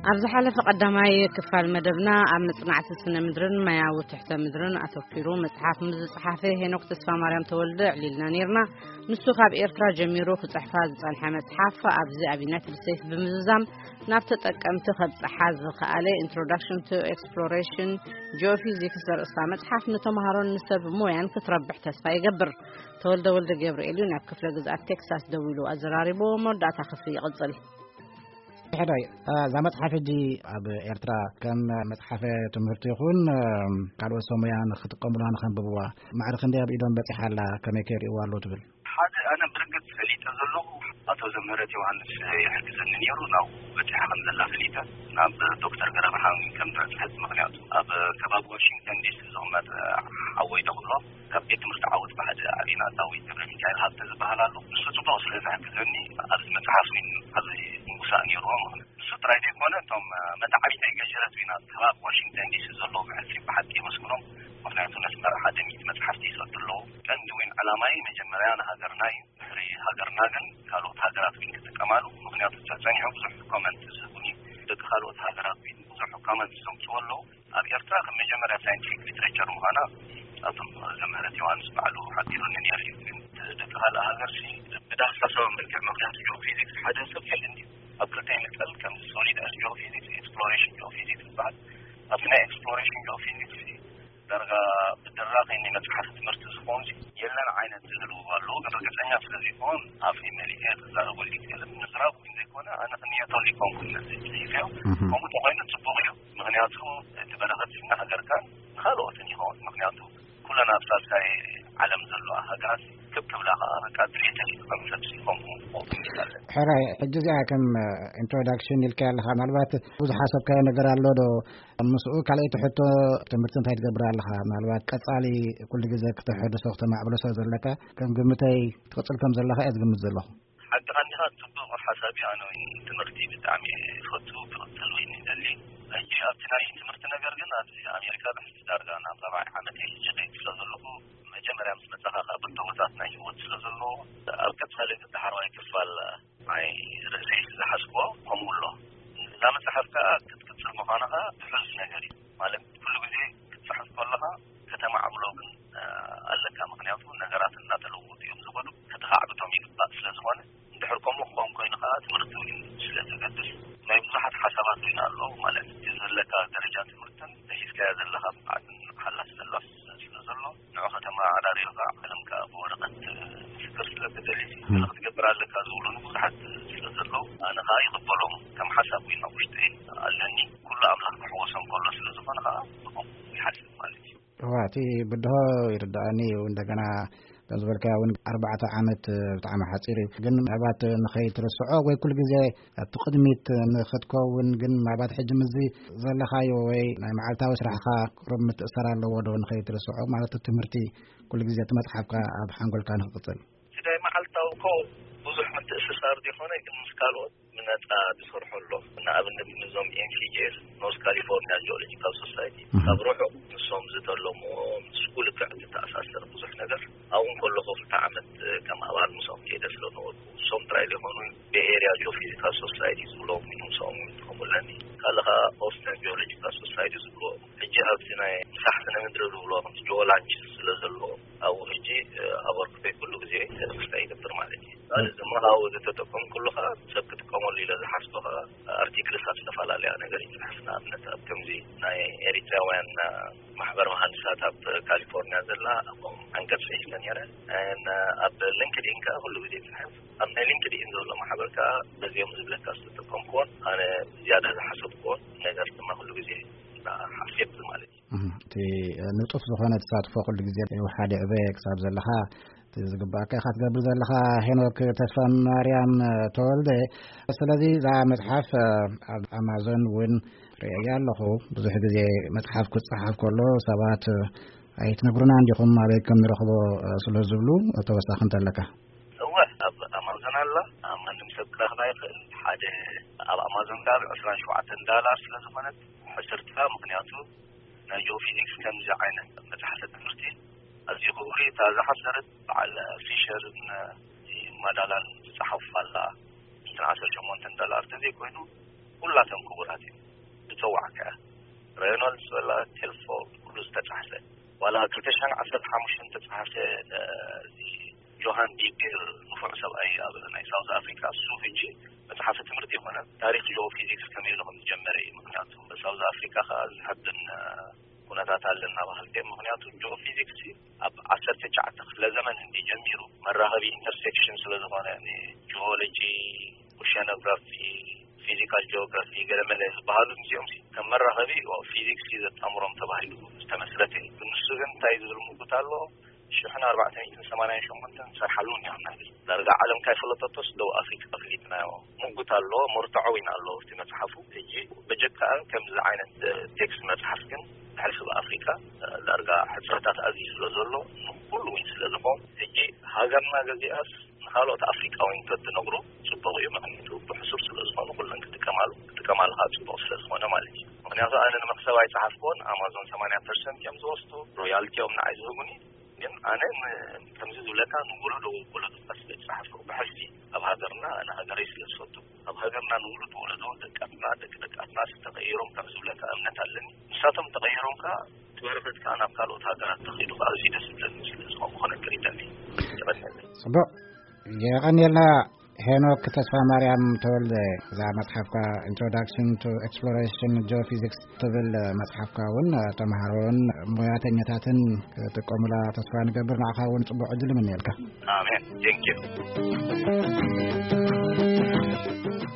ኣብ ዝሓለፈ ቀዳማይ ክፋል መደብና ኣብ መጽናዕቲ ስነ ምድርን ማያዊ ትሕተ ምድርን ኣተኲሩ መጽሓፍ ምስ ዝጸሓፈ ሄኖክ ተስፋ ማርያም ተወልደ ኣዕሊልና ነይርና። ንሱ ካብ ኤርትራ ጀሚሩ ክጽሕፋ ዝጸንሐ መጽሓፍ ኣብዚ ኣብ ዩናይትድ ስቴትስ ብምዝዛም ናብ ተጠቀምቲ ከብጽሓ ዝኸኣለ Introduction to Exploration Geophysics ዘርእስታ መጽሓፍ ንተምሃሮን ንሰብ ሞያን ክትረብሕ ተስፋ ይገብር። ተወልደ ወልደ ገብርኤል እዩ ናብ ክፍለ ግዝኣት ቴክሳስ ደዊሉ ኣዘራሪቡ። መወዳእታ ክፍሊ ይቕጽል። ሕዳይ እዛ መጽሓፍ ሕጂ ኣብ ኤርትራ ከም መጽሓፈ ትምህርቲ ይኹን ካልኦት ሰሙያ ንክጥቀሙላ ንከንብብዋ ማዕረ ክንደይ ኣብ ኢዶም በጺሓ ኣላ? ከመይ ከይርእይዋ ኣለዉ ትብል? ሓደ ኣነ ብርግጽ ፈሊጠ ዘለኹ ኣቶ ዘምህረት ዮሃንስ ይሕግዘኒ ነይሩ። ናብ በጺሓ ከም ዘላ ፈሊጠ ናብ ዶክተር ገረብርሃን ከም ትበጽሐት፣ ምኽንያቱ ኣብ ከባቢ ዋሽንግተን ዲሲ ዝቕመጥ ሓወይ ዶ ክብሎ ካብ ቤት ትምህርቲ ዓወት ብሓደ ኣሪና ዳዊት ገብረ ሚካኤል ሃብተ ዝበሃል ኣሎ። ንሱ ጽቡቕ ስለ ዝሕግዘኒ ኣብዚ መጽሓፍ ኣብዚ ምውሳእ ነይርዎ። ምኽንያቱ ንሱ ጥራይ ዘይኮነ እቶም መታዕቢተይ ገጀረት ዊናት ከባቢ ዋሽንግተን ዲሲ ዘለዉ ብሕልፊ ብሓቂ የመስግኖም። ምኽንያቱ ነስመራ ሓደ ሚእቲ መጽሓፍቲ ይሰዱ ኣለዉ። ቀንዲ ዊን ዕላማይ መጀመርያ ንሃገርና እዩ። ድሕሪ ሃገርና ግን ካልኦት ሃገራት ዊን ክጥቀማሉ። ምኽንያቱ ጸኒሑ ብዙሕ ኮመንት ዝህቡኒ ደቂ ካልኦት ሃገራት ዊን ብዙሕ ኮመንት ዘምጽኡ ኣለዉ። ኣብ ኤርትራ ከም መጀመርያ ሳይንቲፊክ ሊትሬቸር ምዃና ኣብቶም ዘምህረት ዮሃንስ ባዕሉ ሓቢሩኒ ነይሩ እዩ። ግን ደቂ ካልእ ሃገር ሲ ብዳህሳሳዊ መልክዕ፣ ምኽንያቱ ጂኦፊዚክስ ሓደ ሰብ የለን እዩ ኣብ ክልተ ይምቀል። ከምዚ ሶሊድ ጂኦፊዚክስ፣ ኤክስፕሎሬሽን ጂኦፊዚክስ ዝበሃል። ኣብዚ ናይ ኤክስፕሎሬሽን ጂኦፊዚክስ ዳርጋ ብድራኸ ናይ መጽሓፍ ትምህርቲ ዝኾን የለን ዓይነት ዝህልዎ ኣለዉ። ግን ርግጸኛ ስለ ዘይኮን ኣፈይ መሊኤ ክዛረበሉ ይክእል። ምዝራብ ግን ዘይኮነ ኣነ ክንየተሉ ይኮንኩን ነዚ ጽሒፈዮ። እህ። ከምኡ ተኾይኑ ጽቡቕ እዩ። ምኽንያቱ እቲ በረኸት ስና ሃገርካን ንኻልኦትን ይኸውን። ምኽንያቱ ኩለን ኣብ ሳልሳይ ዓለም ዘለዋ ሃገራት ክብ ክብላ ኸዓ በቃ ድሌተን እዩ ከም ሰብ ሲኾም ሞት ይላለን። ሕራይ፣ ሕጂ እዚኣ ከም ኢንትሮዳክሽን ኢልካ ኣለኻ። ምናልባት ብዙሕ ሓሰብካዮ ነገር ኣሎ ዶ? ምስኡ ካልኣይቲ ሕቶ፣ ትምህርቲ እንታይ ትገብር ኣለኻ? ምናልባት ቀጻሊ ኩሉ ግዜ ክተሐድሶ ክተማዕብሎ ስለ ዘለካ ከም ግምተይ ትቕጽል ከም ዘለኻ እየ ዝግምት ዘለኹ። ሓቅኻ እንዲኻ፣ ጽቡቕ ሓሳብ እዩ። ኣነ እውን ትምህርቲ ብጣዕሚ እየ ዝፈቱ፣ ክቕጽል እውን ይደሊ። ሕጂ ኣብቲ ናይ ትምህርቲ ነገር ግን ኣብዚ ኣሜሪካ ብሕጂ ዳርጋ ናብ ራብዓይ ዓመት እየ ሕጂ ከይድ ስለ ዘለኹ፣ መጀመርያ ምስ መጻኻ ካብ ብድሆታት ናይ ህይወት ስለ ዘለዎ፣ ኣብ ቀጻሊ ግን ዳሕረዋይ ክፋል ናይ ርእሰይ ዝሓዝክዎ ከምኡ ኣሎ። እዛ መጽሓፍ ከኣ ክትቅጽል ምዃንኻ ትሑዝ ነገር እዩ። ማለት ኩሉ ግዜ ክትጽሕፍ ከለኻ ከተማዕብሎ ግን ኣለካ። ምኽንያቱ ነገራት እናተለወጡ እዮም ዝኸዱ። ከተኻዕብቶም ይግባእ ስለ ዝኾነ፣ እንድሕር ከምኡ ክኸውን ኮይኑ ከኣ ትምህርቲ እውን ስለ ዘገድስ ናይ ብዙሓት ሓሳባት እውን ኣሎ። ማለት እቲ ዘለካ ደረጃ ትምህርትን ሒዝካያ ዘለኻ ብቕዓትን ሓላስ ዘላስ ስለ ዘሎ፣ ንዑ ከተመዓራርዮ ከኣ ዓለም ከኣ ብወረቐት ምስክር ስለ ትደሊ፣ እም። ገለ ክትገብር ኣለካ ዝብሉኒ ብዙሓት ስለ ዘለዉ፣ ኣነ ከኣ ይቕበሎም። ከም ሓሳብ እውን ኣብ ውሽጠይ ኣለኒ። ኩሉ ኣምላኽ ክሕወሶም ከሎ ስለ ዝኾነ ከኣ ብኸምኡ ይሓስብ ማለት እዩ። እዋ፣ እቲ ብድሆ ይርድኣኒ እዩ። እንደገና ከም ዝበልካዮ እውን ኣርባዕተ ዓመት ብጣዕሚ ሓጺር እዩ። ግን ምናልባት ንኸይትርስዖ ወይ ኩሉ ግዜ ኣብቲ ቅድሚት ንኽትከውን ግን ምናልባት ሕጂ ምስዚ ዘለኻዮ ወይ ናይ መዓልታዊ ስራሕኻ ቁሩብ ምትእስሳር ኣለዎ ዶ ንኸይትርስዖ? ማለት እቲ ትምህርቲ ኩሉ ግዜ እቲ መጽሓፍካ ኣብ ሓንጎልካ ንኽቕጽል። እቲ ናይ መዓልታዊ እኮ ብዙሕ ምትእስሳር ዘይኮነ ግን ምስ ካልኦት ብነጻ ዝሰርሖ ኣሎ። ንኣብነት ምስዞም ኤን ሲ ጂ ኤስ፣ ኖርዝ ካሊፎርኒያ ጂኦሎጂካል ሶሳይቲ፣ እህ። ካብ ርሑቕ ንሶም ዝተለምዎ ምስ ኩሉ ክዕቲ ተኣሳሰር ብዙሕ ነገር። ኣብኡ ከለኹ ክልተ ዓመት ከም ኣባል ምስኦም ከይደ ስለ ነበርኩ፣ እሶም ጥራይ ዘይኮኑ ቤይ ኤርያ ጂኦፊዚካል ሶሳይቲ ዝብሎም እውን ምስኦም እውን ይጥቀሙ ኣለኒ። ካልእ ኸኣ ኦስተን ጂኦሎጂካል ሶሳይቲ ዝብልዎ፣ ሕጂ ኣብቲ ናይ ምሳሕ ስነ ምድሪ ዝብልዎ ከምቲ ጂኦላንች ስለ ዘለዎ፣ ኣብኡ ሕጂ ኣበርክቶይ ኩሉ ግዜ ምስታይ ይገብር ማለት እዩ። ካልእ ድማ ካብኡ ዝተጠቀምኩሉ ኸኣ ሰብ ክጥቀመሉ ኢለ ዝሓስቦ ኸኣ ኣርቲክልስ ኣብ ዝተፈላለያ ነገር ይጽሕፍ። ንኣብነት ኣብ ከምዚ ናይ ኤሪትራውያን ማሕበር መሃንድሳት ኣብ ካሊፎርኒያ ዘላ ኣብኦም ዓንቀጽ ጽሒፈ ነይረ። ን-፣ ኣብ ሊንክድኢን ከኣ ኩሉ ግዜ ይጽሕፍ። ኣብ ናይ ሊንክድኢን ዘሎ ማሕበር ከኣ በዚኦም ዝብለካ ዝተጠቀምኩዎን ኣነ ዝያዳ ዝሓሰብኩዎን ነገር ድማ ኩሉ ግዜ ሓሲብ ማለት እዩ። እህ፣ እቲ ንጡፍ ዝኾነ ተሳትፎ ኩሉ ግዜ ይውሓድ ይዕበ ክሳብ ዘለኻ እቲ ዝግባእካ ኢኻ ትገብር ዘለኻ ሄኖክ ተስፋ ማርያም ተወልደ። ስለዚ እዛ መጽሓፍ ኣብ ኣማዞን እውን ርእየያ ኣለኹ። ብዙሕ ግዜ መጽሓፍ ክጸሓፍ ከሎ ሰባት ኣይትነግሩና እንዲኹም ኣበይ ከም ንረኽቦ ስለ ዝብሉ ተወሳኺ እንተለካ። እወ፣ ኣብ ኣማዞን ኣላ። ኣብ ማንም ሰብ ክረኽባ ይኽእል። ሓደ ኣብ ኣማዞን ከኣ ብ ዕስራን ሸውዓተን ዳላር ስለ ዝኾነት ሕስርትካ፣ ምኽንያቱ ናይ ጂኦፊዚክስ ከምዚ ዓይነት መጽሓፍቲ ትምህርቲ ኣዝዩ ክቡር እዩ። እታ ዝሓሰረት በዓል ፊሸርን ማዳላን ዝጸሓፉ ኣላ። ዕስራን ዓሰርተ ሸሞንተን ዳላር ተዘይኮይኑ ኩላቶም ክቡራት እዮም። ዝፀዋዕካ ሬኖልድስ ወላ ቴልፎርድ ኩሉ ዝተፃሕፈ ዋላ ክልተ ሽሕን ዓሰርተ ሓሙሽተን ዝተፃሕፈ እዚ ጆሃን ዲፒር ንፉዕ ሰብኣይ ኣብ ናይ ሳውዝ ኣፍሪካ እሱ ሕጂ መፅሓፈ ትምህርቲ ይኮነ ታሪክ ጂኦ ፊዚክስ ከመይ ኢሉ ከም ዝጀመረ እዩ። ምክንያቱ ሳውዝ ኣፍሪካ ከዓ ዝሕብን ኩነታት ኣለና ባህልቲ ምክንያቱ ጂኦ ፊዚክስ ኣብ ዓሰርተ ትሽዓተ ክፍለ ዘመን እንዲ ጀሚሩ መራኸቢ ኢንተርሴክሽን ስለዝኾነ ጂኦሎጂ፣ ኦሽያኖግራፊ፣ ፊዚካል ጂኦግራፊ ገለመለ ዝበሃሉ እዚኦም ከም መራኸቢ ፊዚክስ ዘጣምሮም ተባሂሉ ዝተመስረተ እዩ። ንሱ ግን እንታይ ዝብል ምጉት ኣሎ ሽሕን ኣርባዕተ ሚእትን ሰማንያን ሸሞንተን ሰርሓሉ ኒሆና ዳርጋ ዓለም ካይፈለጠቶስ ደቡብ ኣፍሪካ ኣፍሊጥናዮ ምጉት ኣሎ። መርትዖ እውን ኣሎ እቲ መፅሓፉ። ሕጂ በጀካ ከምዚ ዓይነት ቴክስት መፅሓፍ ግን ብሕልፊ ብኣፍሪካ ዳርጋ ሕፅረታት ኣዝዩ ስለ ዘሎ ንኩሉ እውን ስለ ዝኾን ሕጂ ሃገርና ገዚኣስ ንካልኦት ኣፍሪቃውያን ተትነግሩ ፅቡቅ እዩ። ምክንያቱ ብሕሱር ስለ ዝኾኑ ኩለን ክጥቀማሉ ክጥቀማሉ ከዓ ፅቡቅ ስለ ዝኾነ ማለት እዩ። ምክንያቱ ኣነ ንመክሰብ ኣይፀሓፍኩዎን ኣማዞን ሰማንያ ፐርሰንት እዮም ዝወስዱ ሮያልቲኦም ንዓይ ዝህቡኒ። ግን ኣነ ን- ከምዚ ዝብለካ ንወለዶ ወለዶ ስለ ዝፀሓፍኩ ብሕልፊ ኣብ ሃገርና ኣነ ሃገረይ ስለ ዝፈቱ ኣብ ሃገርና ንውሉድ ወለዶ ደቃትና ደቂ ደቃትና ተቀይሮም ከም ዝብለካ እምነት ኣለኒ። ንሳቶም ተቀይሮም ከዓ ትበረፈት ከዓ ናብ ካልኦት ሃገራት ተኪዱ ከዓ እዚ ደስ ዝብለኒ ስለ ዝኾንኩ ክነግር ይደሊ። ይቀጥል። ጽቡቅ። የቐንየልና ሄኖክ ተስፋ ማርያም ተወልደ። እዛ መጽሓፍካ Introduction to Exploration Geophysics ትብል መጽሓፍካ እውን ተምሃሮን ሙያተኛታትን ክጥቀሙላ ተስፋ ንገብር። ንዓኻ እውን ጽቡቅ ዕድል እምነየልካ። ኣሜን። Thank you።